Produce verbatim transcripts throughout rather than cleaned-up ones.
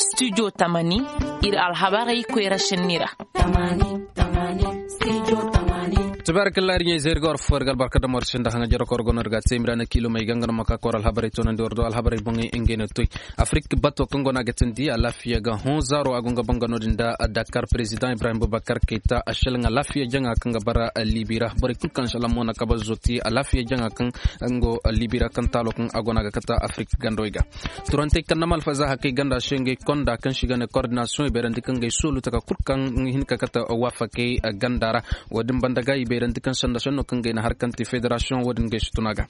Studio tamani, iri alhabarey koyra senni ra. Tabarakalla iri ɲey zayri ga war fo iri ga albarka dam war sinda haŋa jaro ka war gono iri ga te iri ma ra na kiilo may ganga no ma ka ka war alhabarey toonandi war do alhabarey boŋey ngey no toy. Afrik bato kaŋ go no a ga tindi alaafiya ga hõ zaaro a go nga banga no- din da dakar president ibrahim bubakar kayta a selaŋ alaafiya jaŋa kaŋ ga bara libi ra borey kulu kaŋ selaŋ mo na kaba zoti alaafiya jaŋa kaŋ nga go libi ra kaŋ taalo kaŋ a go no a ga kata afrik gandawey ga. Turantey kaŋ na malfaza hakey ganda se ngey konda kaŋ si ga ne koordinasiyoŋ i bayrandi kaŋ ngey soolu taka kulu kaŋ hin ka kata waafakey ganda ra. Wo- din banda ga i bayrandi kaŋ sanda senno kaŋ ngey na har kaŋ te federasiyoŋ wo- din ngey si tun a ga.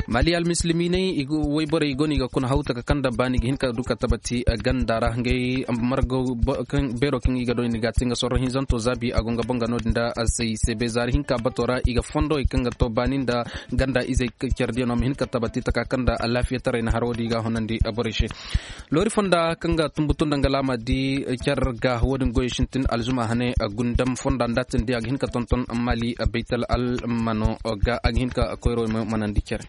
Mali almisilimiiney wayborey i go no i ga kuna haw taka kaŋ da baani ga hin ka du ka tabati ganda ra ngey margo beero kaŋ i ga doy ni ga te nga sorro hinzanto zaabi a go nga banga no- din da se i se bezaari hinka bato ra i ga fondo i kaŋ ga to baani nda ganda izey care diyaŋo ma hin ka tabati taka kaŋ da alaafiyataray na haro di ga honandi borey se. Loori fonda kaŋ ga tumbutu nda nga laama di care ga wo- din goyo sintin alzuma hane gundam fonda nda tin di a ga hin ka tonton mali baytal almano ga a ga hin ka koyro manandi care.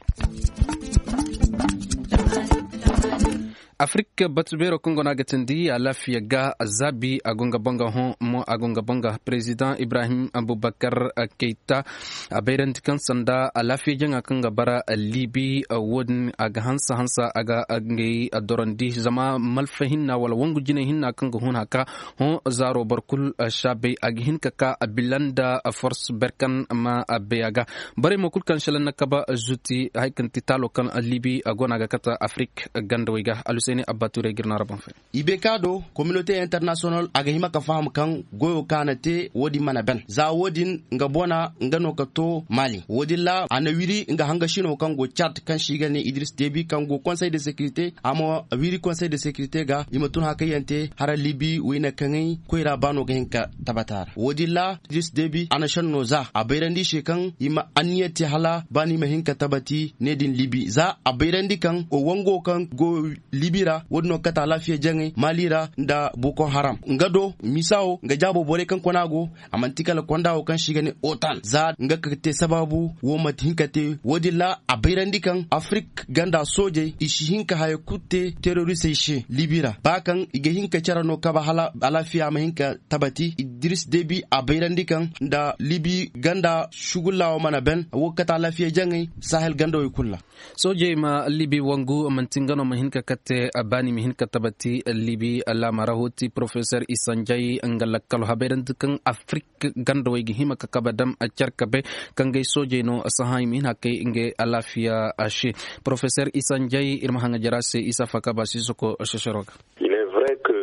Afrik batu beero kaŋ go no a ga tindi alaafiya ga zaabi a go nga banga hõ mo a go nga banga president ibrahim abubakar keyta a bayrandi kaŋ sanda alaafiya jaŋa kaŋ ga bara libi wo- din a ga hansa hansa a ga ngey dorandi zama malfa hinna wala wangu jinay hinna kaŋ ga hun haka hõ zaaro boro kulu saabay a ga hin ka ka bila nda force berkan ma bay a ga. Borey mo kulu kaŋ selaŋ na kaba zuti hari kaŋ ti taalo kaŋ libi a go no a ga kata afrik gandawey ga alusayni abbaturey ga iri no a ra boŋ fay. I bay ka do kominote internasiyonal a ga hima ka faham kaŋ goyo kaŋ a na te wo- din mana ban za wo- din nga bona nga no ka to mali wo- din ra a na wiri nga hangasino kaŋ go cad kaŋ si ga ne idris debi kaŋ go konsey de sekirite a ma wiri konsey de sekirite ga i ma tun hakayyaŋ te hara libi wayne kaŋay koyra baano ga hin ka tabata ra wo- din ra idris debi a na senno za a bayrandi se kaŋ i ma anniya te hala ba no i ma hin ka tabati ne din libi za a bayrandi kaŋ wango kaŋ go libi ra wo- din no ga kate alaafiya jaŋay mali ra nda boko haram nga do misa wo nga jaabo borey kaŋ kona go a manti kala konda wo kaŋ se i ga ne otan za nga ga te sabaabu wo manti hin ka te wo- din ra a bayrandi kaŋ afrik ganda soojey i si hin ka haya kulu te terorisey se libi ra ba kaŋ i ga hin ka care no kaba hala alaafiya ma hin ka tabati idris debi a bayrandi kaŋ nda libi ganda sugulla wo mana ban wo ga kate alaafiya jaŋay sahel gandawey kulu ra. Soojey ma libi wangu manti nga no ma hin ka kate baani ma hin ka tabati libi laama ra hoti porofesor isanjay nga lakkalo habayrandi kaŋ afrik gandawey ga hima ka kaba dam care kabe kaŋ gay soojey no sahaŋ i ma hin hakay ngey alaafiya se. Porofesor isanjay iri ma haŋa jara se isa faka ba sisoko sesero ga.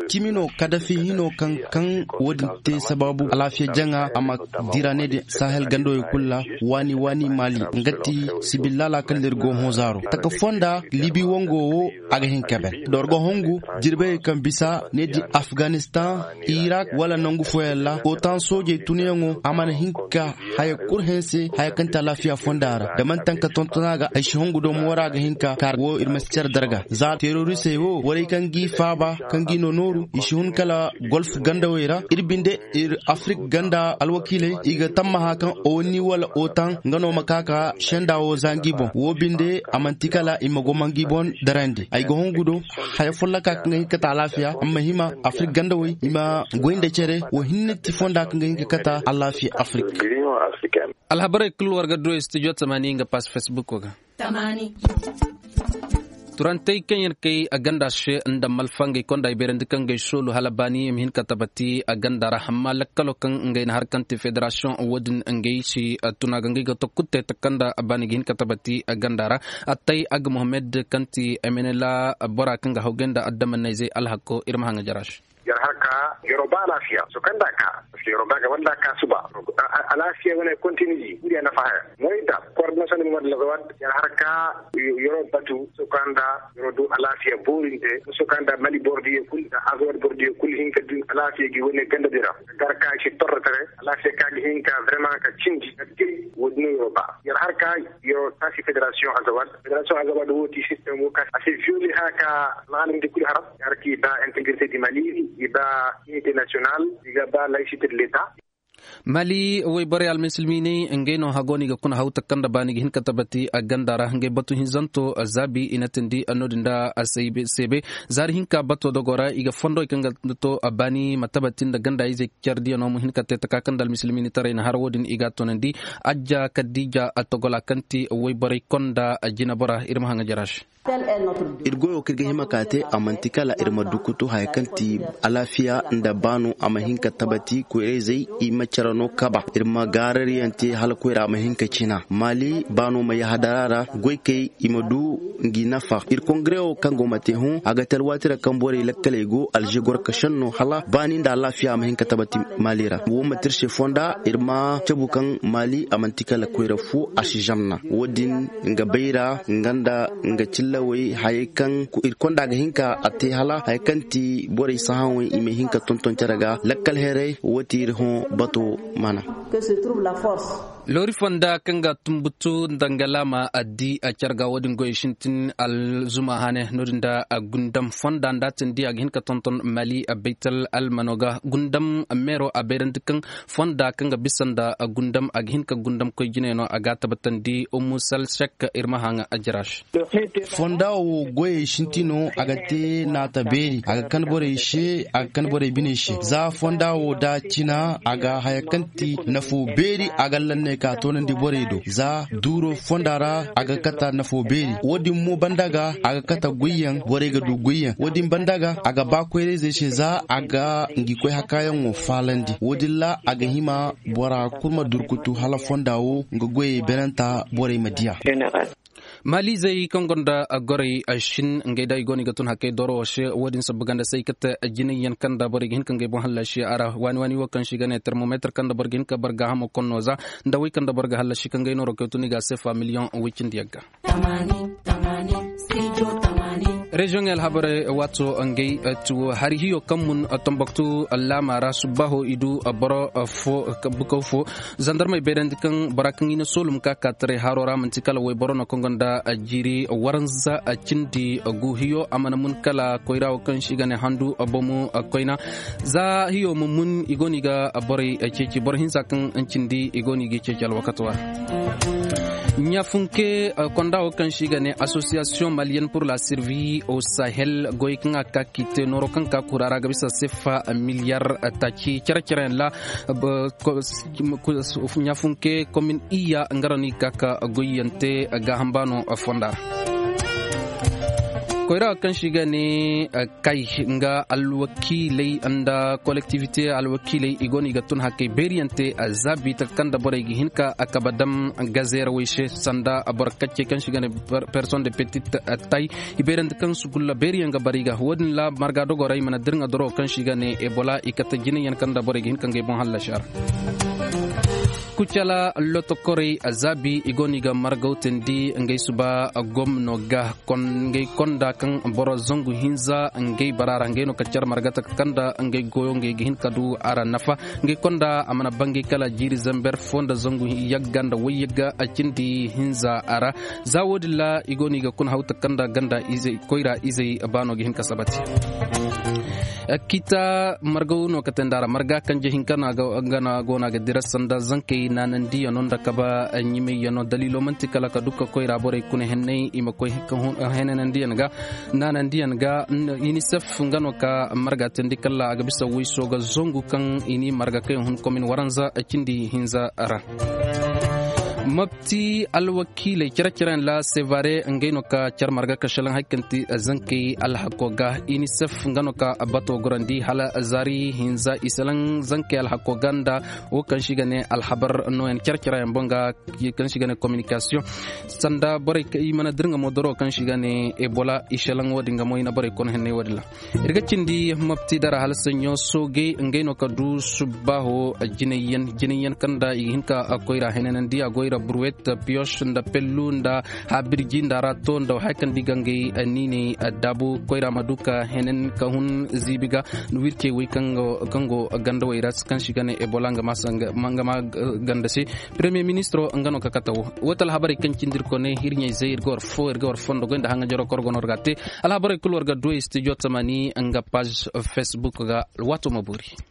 Cimi no kadafi hino kaŋ kaŋ wo- din te sabaabu alaafiya jaŋa a ma dira ne din sahel gandawey kulu ra waani waani mali nga ti sibillaala kaŋ da iri go hõ zaaro taka fonda libi wango wo a ga hin ka ban da war ga hongu jirbey kaŋ bisa ne din afganistan irak wala nangu fooyaŋ ra otan soojey tunyaŋo a mana hin ka haya kulu hanse haya kaŋ ti alaafiya fonda ra da manti kaŋ ka tonton a ga ay si hongu do moora ga hin ka kaar wo iri ma si care darga za terorisey wo warey kaŋ g'i faaba kaŋ g'i no nooru i si hun kala golf gandawey ra iri binde iri afrik ganda alwakiiley i ga tammaha kaŋ oni wala otan nga no ma ka ka senda wo za ngi boŋ wo binde a manti kala i ma goma ngi boŋ darandi ay ga hongu do haya folloka kaŋ ga hin ka ta alaafiya amma hima afrik gandawey i ma goy nda care wo hinne ti fonda kaŋ ga hin ka kata alaafiya afrik. Alhabarey kulu war ga du studio tamani nga pass facebook ga. Turantey kaŋ yaŋ kay a ganda se nda malfa ngey konda i beerandi kaŋ ngey soolu hala baani i ma hin ka tabati a ganda ra amma lakkalo kaŋ ngey na har kaŋ te federasiyoŋ wo- din ngey si tuna ga ngey ga tokkutte takanda baani ga hin ka tabati a ganda ra. Attay aga mohammed kaŋ ti emenela bora kaŋ ga hawgay nda addamanayzey alhakko iri ma haŋa jara se. Yar harka yaro ba alaafiya so kaŋ da ka parce que yaro ba ga banda ka suba. Alaafiya wane kontiniji wuri a nafa haya moy da koordinasiyoŋ din wadda laga wadda yar harka yaro batu so kaŋ da yaro do alaafiya boorinte so kaŋ da mali bordiye kul da azawad bordiye kul hinka din alaafiya gi wane ganda dira gar ka shi torra tare alaafiya ka ga hinka vraiment ka cindi ka te. Wodin yaro ba yar harka yaro tasi federasiyoŋ azawad federasiyoŋ azawad woti sistem wo ka a se violi haka laalim di kul haram yar ki ba integrité di mali i ba unité nationale i ga ba laïcité de l'état. Mali wayborey almisilmiiney ngey no hago no i ga kuna hawta kaŋ nda baani ga hin ka tabati a ganda ra ngey batu hinzanto zaabi i na tindi no- din da seebe. Zaari hinka bato dogo ra i ga fondo i kaŋ ga to baani ma tabati nda ganda izey care diya no ma hin ka te taka kaŋ nda almisilmiini taray na hara wo- din i ga a toonandi. Ajja kadija a togola kaŋ ti wayborey konda a jinabora iri ma haŋ a jara se. Iri goyo kaŋ iri ga hima ka te a manti kala iri ma dukutu haya kaŋ ti alaafiya nda baano a ma hin ka tabati koyra-izey i ma care no kaba iri ma gaarariyaŋ te hala koyra a ma hin ka cina maali baano ma yahadara ra goykey i ma du ngi nafa iri kongrewo kaŋ go ma te hõ a ga te alwaati ra kaŋ borey lakkaley go alze gorkaseŋ no hala baani nda alaafiya a ma hin ka tabati maali ra wo manti iri se fonda iri ma cabu kaŋ maali a manti kala koyra fo a si zamna wo- din nga bayra nga nda nga cillawey hayey kaŋ iri konda ga hin ka a te hala hayey kaŋ ti borey sahãwey i ma hin ka tonton care ga lakkal heray wo ti iri hõ bato mana. Loori fonda kaŋ ga tumbutu nda nga laama a di a care ga wo- din goyey sintin alzuma hane no- din da gundam fonda nda a tindi a ga hin ka tonton mali a baytal almano ga gundam meero a bayrandi kaŋ fonda kaŋ ga bisa nda gundam a ga hin ka gundam koy jinay no a ga a tabbatandi ummu salsek iri ma haŋ a jira se. Fonda wo goyey sinti no a ga te naata beeri a ga kan borey se a ga kan borey biney se za fonda wo da cina a ga haya kaŋ ti nafo beeri a ga lanney ka toonandi borey do za duuro fonda ra a ga kata nafo beeri wo- din mo banda ga a ga kata goyyaŋ borey ga du goyyaŋ wo- din banda ga a ga ba koyrayzey se za a ga ngi koy hakaayaŋo faalandi wo- din ra a ga hima bora kulu ma durkutu hala fonda wo nga goyey benanta borey ma diya. Maalizey kaŋ gonda goray shin ngey da i go no i ga tun hakkey doro wo se wo- din sabba ganda se i kate jinay yaŋ kaŋ da borey ga hin ka ngey boŋ hallasi a ra waani waani wo kaŋ se i ga ne termometre kaŋ da boro ga hin ka boro gaahamo konno za nda wey kaŋ da boro ga hallasi kaŋ ngey nooro kay tun i ga a se fa miliyoŋ way cindi yaŋ ga. Reziyoŋey alhabarey waato ngey ti wo hari hiyo kaŋ mun tomboktu laama ra subbaaho i du boro fo bukaw fo zandarmey bayrandi kaŋ bora kaŋ i na soolum ka ka taray haro ra manti kala wayboro no kaŋ gonda jiiri waranza cindi gu hiyo a mana mun kala koyra wo kaŋ se i ga ne handu bomo koyna za hiyo ma mun i go no i ga borey ceeci boro hinza kaŋ cindi i go no i ga ceeci alwakato ra. Ɲafunke konda wo kaŋ se i ga ne association malienne pour la survie au sahel goy kaŋ a ka k'i te nooro kaŋ ka kura ra ga bisa sefa miliyar taaci care care yaŋ ra. Ɲafunke komin iyya nga ra no i ga ka goyyante gaaham baano fonda ra. Koyra kaŋ se i ga ne kay nga alwakiiley nda kolektivite alwakiiley i go no i ga tun hakkey beeriyante zaabi taka kaŋ da borey ga hin ka kaba dam gazeerawey se sanda boro kaccey kaŋ se i ga ne personne de petite taille i beerante kaŋ sugulla beeriyaŋ ga bara i ga wo- din ra marga dogo ra i mana dirŋa doro kaŋ se i ga ne ebola i kate jinayaŋ kaŋ da borey ga hin ka ngey boŋ hallasi a ra. Kucala lotokorey zaabi i go no i ga margaw teendi ngey suba gomno ga ngey konda kaŋ boro zangu hinza ngey bara ra ngey no ka care margata kaŋ da ngey goyo ngey ga hin ka du a ra nafa ngey konda a mana bangay kala jiiri zamber fo nda zangu yagga nda wayyagga cindi hinza a ra. Za wo- din ra i go no i ga kuna hawta kaŋ da ganda koyra izey baano ga hin ka sabati. Kita margaw no ka te nda ra marga kanje hinka no a go no a ga dira sanda zankey naanandiyaŋo nda kaba ɲimayaŋo daliilo manti kala ka du ka koyra borey kuna henney i ma koy henanandiyaŋ ga naanandiyaŋ ga. Unicef nga no ka marga teendi kala a ga bisa wayso ga zangu kaŋ i n'i marga kaŋ yaŋ hun komin waranza cindi hinza ra. Mopti alwakiiley care care yaŋ ra sevare ngey no ka care marga ka salaŋ hari kaŋ ti zankey alhako ga unicef nga no ka bato gorandi hala zaari hinza i salaŋ zankey alhako ga nda wo kaŋ se i ga ne alhabar nooyaŋ care care yaŋ boŋ ga kaŋ se i ga ne communication sanda borey i mana dira nga mo doro kaŋ se i ga ne ebola i salaŋ wo- din ga mo i na borey kono henney wo- din ra. Iri ga cindi mopti dara hala saɲɲo soogey ngey no ka du subbaaho jinayyaŋ kaŋ nda i ga hin ka koyra henanandi a go i ra burwet piyos nda pellu nda habirji nda rato nda hari kaŋ da i ga ngey niiney daabu koyra ma du ka henen ka hun ziibi ga wircey wey kaŋ go gandawey ra kaŋ se i ga ne ebola nga ma ganda se. Premier ministro nga no ka kate wo wo ti alhabarey kaŋ cindi iri kone iri ɲayzey iri ga war fo iri ga war fondo goy nda haŋajaroo kaŋ war go no war ga a te. Alhabarey kulu war ga du ay studio tamani nga page facebook ga. Waato ma boori.